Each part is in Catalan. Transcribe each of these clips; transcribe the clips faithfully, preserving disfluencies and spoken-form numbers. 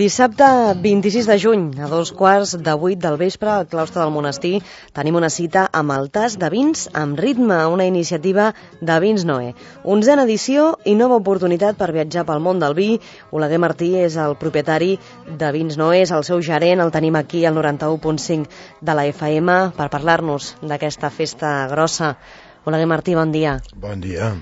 Dissabte vint-i-sis de juny, a dos quarts de vuit del vespre, al claustre del monestir, tenim una cita amb el tas de vins amb ritme, una iniciativa de Vins Noé. Onzena edició i nova oportunitat per viatjar pel món del vi. Oleguer Martí és el propietari de Vins Noé, és el seu gerent, el tenim aquí al noranta-u punt cinc de la F M per parlar-nos d'aquesta festa grossa. Oleguer Martí, bon dia. Bon dia.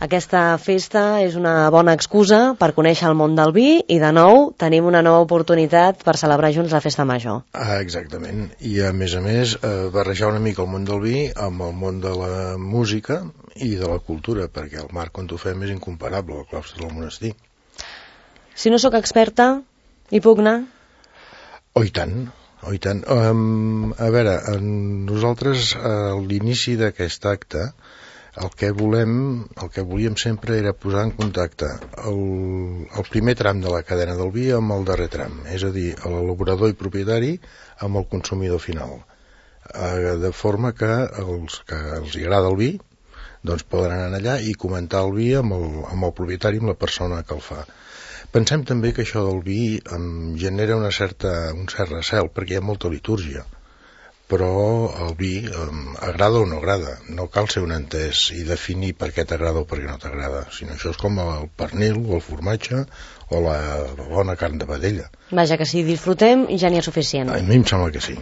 Aquesta festa és una bona excusa per conèixer el món del vi i, de nou, tenim una nova oportunitat per celebrar junts la festa major. Ah, exactament. I, a més a més, eh, barrejar una mica el món del vi amb el món de la música i de la cultura, perquè el marc on ho fem és incomparable, el claustre del monestir. Si no sóc experta, hi puc anar? Oh, i tant. Oh, i tant. Um, a veure, nosaltres, a l'inici d'aquest acte, el que volem, el que volíem sempre era posar en contacte el, el primer tram de la cadena del vi amb el darrer tram, és a dir, l'elaborador i propietari amb el consumidor final, eh, de forma que els que els agrada el vi doncs poden anar allà i comentar el vi amb el, amb el propietari, amb la persona que el fa. Pensem també que això del vi em genera una certa, un cert recel, perquè hi ha molta litúrgia, però el vi eh, agrada o no agrada. No cal ser un entès i definir per què t'agrada o per què no t'agrada, sinó això és com el pernil o el formatge o la bona carn de vedella. Vaja, que si disfrutem ja n'hi ha suficient. A mi em sembla que sí.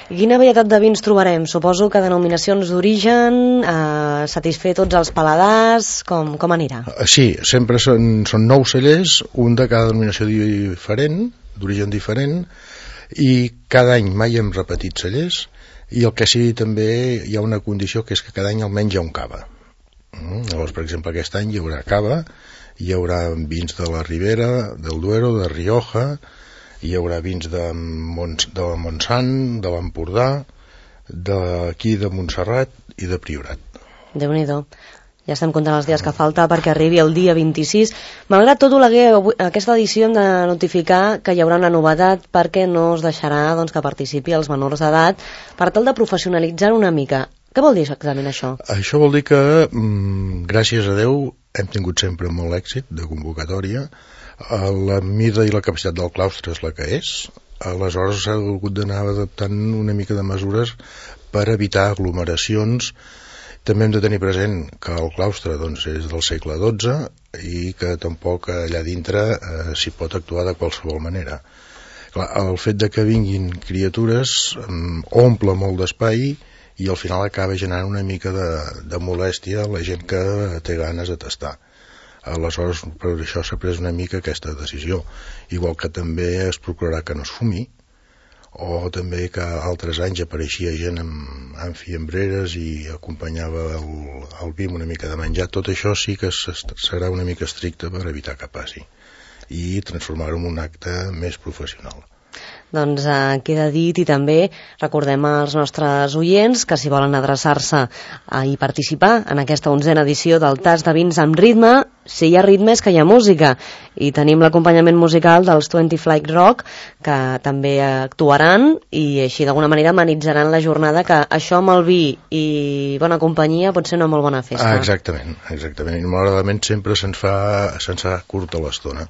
I quina varietat de vins trobarem? Suposo que denominacions d'origen, eh, satisfer tots els paladars, com, com anirà? Sí, sempre són, són nou cellers, un de cada denominació diferent, d'origen diferent, i cada any mai hem repetit cellers, i el que sí també hi ha una condició, que és que cada any almenys hi ha un cava. Mm? Llavors, per exemple, aquest any hi haurà cava, hi haurà vins de la Ribera, del Duero, de Rioja, hi haurà vins de, Mont, de Montsant, de l'Empordà, d'aquí de Montserrat i de Priorat. Déu-n'hi-do. Ja estem comptant els dies que falta perquè arribi el dia vint-i-sis. Malgrat tot, Oleguer, aquesta edició hem de notificar que hi haurà una novetat perquè no es deixarà doncs, que participi els menors d'edat per tal de professionalitzar una mica. Què vol dir exactament això? Això vol dir que, mm, gràcies a Déu, hem tingut sempre molt èxit de convocatòria. La mida i la capacitat del claustre és la que és. Aleshores s'ha hagut d'anar adaptant una mica de mesures per evitar aglomeracions. També hem de tenir present que el claustre doncs, és del segle dotze i que tampoc allà dintre eh, s'hi pot actuar de qualsevol manera. Clar, el fet de que vinguin criatures eh, omple molt d'espai i al final acaba generant una mica de, de molèstia a la gent que té ganes de tastar. Aleshores, per això s'ha pres una mica aquesta decisió. Igual que també es procurarà que no es fumi, o també que altres anys apareixia gent amb, amb fiambreres i acompanyava el, el vi amb una mica de menjar. Tot això sí que serà una mica estricte per evitar que passi i transformar-ho en un acte més professional. Doncs eh, queda dit, i també recordem als nostres oients que si volen adreçar-se a i participar en aquesta onzena edició del Tas de Vins amb Ritme, si hi ha ritme és que hi ha música, i tenim l'acompanyament musical dels Twenty Flight Rock, que també actuaran i així d'alguna manera amenitzaran la jornada, que això amb el vi i bona companyia pot ser una molt bona festa. Ah, exactament, exactament. I malauradament sempre se'ns fa, se'ns fa curta l'estona.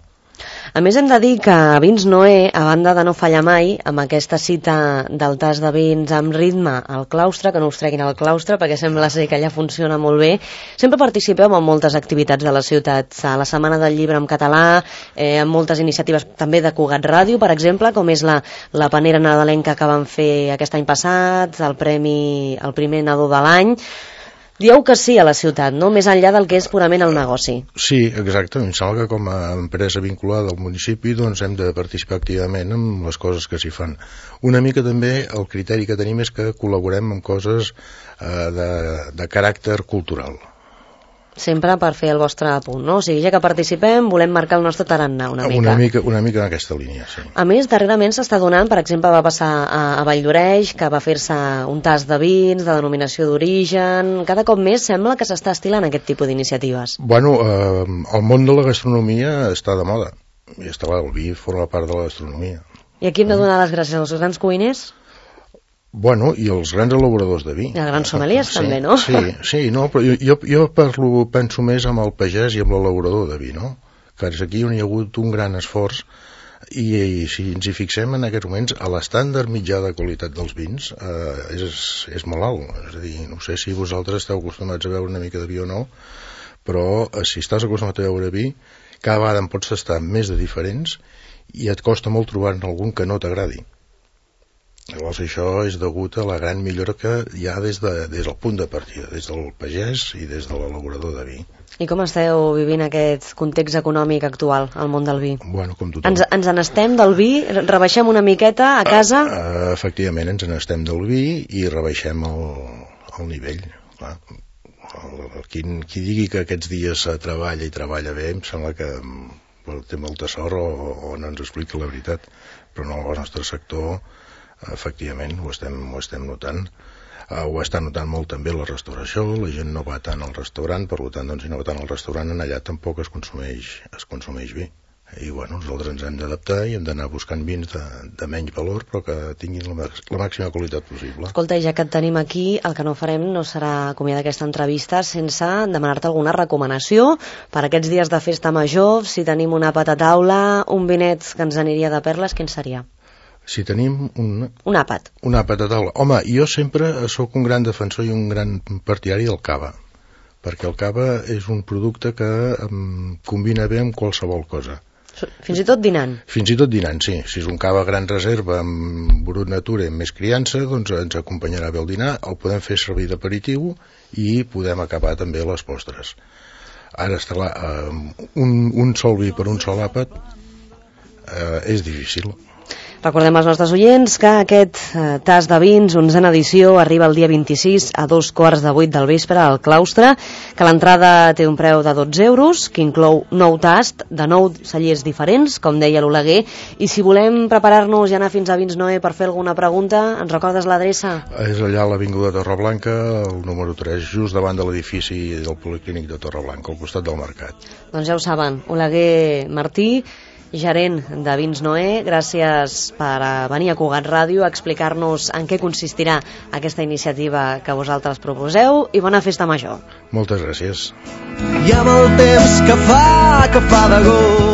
A més, hem de dir que Vins Noé, a banda de no fallar mai amb aquesta cita del tas de vins amb ritme al claustre, que no us treguin al claustre perquè sembla ser que allà funciona molt bé, sempre participeu en moltes activitats de la ciutat. A la Setmana del Llibre en català, eh, en moltes iniciatives també de Cugat Ràdio, per exemple, com és la, la panera nadalenca que van fer aquest any passat, el premi, el primer nadó de l'any. Dieu que sí a la ciutat, no? Més enllà del que és purament el negoci. Sí, exacte. Em sembla que com a empresa vinculada al municipi doncs hem de participar activament en les coses que s'hi fan. Una mica també el criteri que tenim és que col·laborem en coses eh, de, de caràcter cultural. Sempre per fer el vostre apunt, no? O sigui, ja que participem, volem marcar el nostre tarannà una mica. Una mica, una mica en aquesta línia, sí. A més, darrerament s'està donant, per exemple, va passar a, a Valldoreix, que va fer-se un tas de vins, de denominació d'origen. Cada cop més sembla que s'està estilant aquest tipus d'iniciatives. Bueno, eh, el món de la gastronomia està de moda. I està clar, el vi forma part de la gastronomia. I aquí hem de donar les gràcies als grans cuiners? Bueno, i els grans elaboradors de vi. I els grans sommeliers, sí, també, no? Sí, sí, no, però jo, jo parlo, penso més amb el pagès i amb l'elaborador de vi, no? Que és aquí on hi ha hagut un gran esforç I, i si ens hi fixem en aquests moments, a l'estàndard mitjà de qualitat dels vins eh, és, és molt alt. És a dir, no sé si vosaltres esteu acostumats a veure una mica de vi o no, però eh, si estàs acostumat a veure vi, cada vegada en pots tastar més de diferents i et costa molt trobar-ne algun que no t'agradi. Llavors això és degut a la gran millora que hi ha des, de, des del punt de partida, des del pagès i des de l'elaborador de vi. I com esteu vivint aquest context econòmic actual al món del vi? Bueno, com tothom. Ens, ens n'estem del vi? Rebaixem una miqueta a casa? Uh, uh, efectivament, ens n'estem del vi i rebaixem el, el nivell. Clar. El, el, qui, qui digui que aquests dies treballa i treballa bé, em sembla que té molta sort o, o no ens explica la veritat. Però no, el nostre sector efectivament ho estem, ho estem notant. Uh, ho està notant molt també la restauració, la gent no va tant al restaurant, per tant, doncs, si no va tant al restaurant, en allà tampoc es consumeix, es consumeix vi. I bueno, nosaltres ens hem d'adaptar i hem d'anar buscant vins de, de menys valor, però que tinguin la, la màxima qualitat possible. Escolta, ja que et tenim aquí, el que no farem no serà acomiadar aquesta entrevista sense demanar-te alguna recomanació per aquests dies de festa major. Si tenim un àpat a taula, un vinet que ens aniria de perles, quin seria? Si tenim un... Un àpat. Un àpat a taula. Home, jo sempre sóc un gran defensor i un gran partidari del cava, perquè el cava és un producte que um, combina bé amb qualsevol cosa. Fins i tot dinant. Fins i tot dinant, sí. Si és un cava gran reserva amb brut natura i amb més criança, doncs ens acompanyarà bé el dinar, el podem fer servir d'aperitiu i podem acabar també les postres. Ara, està clar, uh, un, un sol vi per un sol àpat uh, és difícil. Recordem als nostres oients que aquest eh, tas de vins, onzena edició, arriba el dia vint-i-sis a dos quarts de vuit del vespre al claustre, que l'entrada té un preu de dotze euros, que inclou nou tast de nou cellers diferents, com deia l'Oleguer, i si volem preparar-nos i anar fins a Vins Noé per fer alguna pregunta, ens recordes l'adreça? És allà a l'Avinguda Torreblanca, el número tres, just davant de l'edifici del Policlínic de Torreblanca, al costat del mercat. Doncs ja ho saben, Oleguer Martí, gerent de Vins Noé, gràcies per venir a Cugat Ràdio a explicar-nos en què consistirà aquesta iniciativa que vosaltres proposeu i bona festa major. Moltes gràcies. I amb el temps que fa, que fa de gos